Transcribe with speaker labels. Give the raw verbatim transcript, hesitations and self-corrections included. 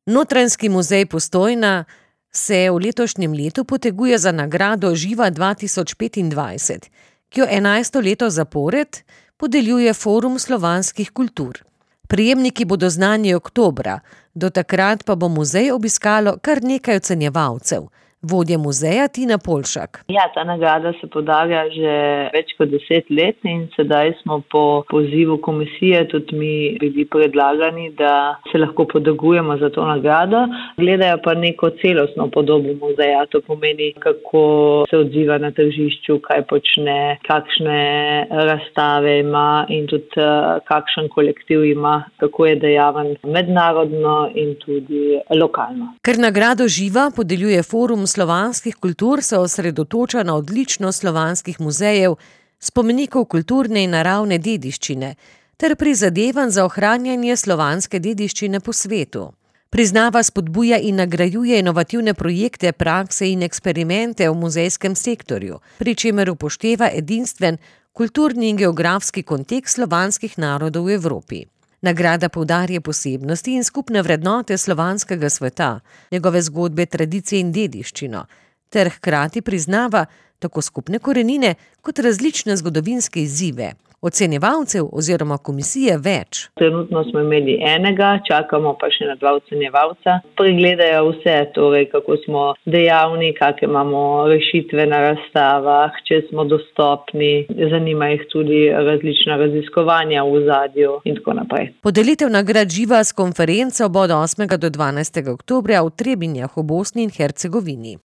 Speaker 1: Notranjski muzej Postojna se v letošnjem letu poteguje za nagrado Živa dva tisoč petindvajset, ki jo enajsto leto zapored podeljuje Forum slovanskih kultur. Prejemniki bodo znani oktobra, do takrat pa bo muzej obiskalo kar nekaj ocenjevalcev. Vodja muzeja Tina Polšak.
Speaker 2: Ja, ta nagrada se podarja že več kot deset let in sedaj smo po pozivu komisije tudi mi bili predlagani, da se lahko potegujemo za to nagrado. Gledajo pa neko celostno podobo muzeja, to pomeni, kako se odziva na tržišču, kaj počne, kakšne razstave ima in tudi kakšen kolektiv ima, kako je dejaven mednarodno in tudi lokalno.
Speaker 1: Ker nagrado Živa podeljuje Forum slovanskih kultur, se osredotoča na odličnost slovanskih muzejev, spomenikov kulturne in naravne dediščine ter prizadevanj za ohranjanje slovanske dediščine po svetu. Priznava, spodbuja in nagrajuje inovativne projekte, prakse in eksperimente v muzejskem sektorju, pri čemer upošteva edinstven kulturni in geografski kontekst slovanskih narodov v Evropi. Nagrada poudarja posebnosti in skupne vrednote slovanskega sveta, njegove zgodbe, tradicije in dediščino, ter hkrati priznava tako skupne korenine kot različne zgodovinske izzive. Ocenjevalcev oziroma komisije več.
Speaker 2: Trenutno smo imeli enega, čakamo pa še na dva ocenjevalca. Pregledajo vse, torej kako smo dejavni, kakšne imamo rešitve na razstavah, če smo dostopni, zanima jih tudi različna raziskovanja v ozadju in tako naprej.
Speaker 1: Podelitev nagrad Živa s konferenco bo od osmega do dvanajstega oktobra v Trebinjah v Bosni in Hercegovini.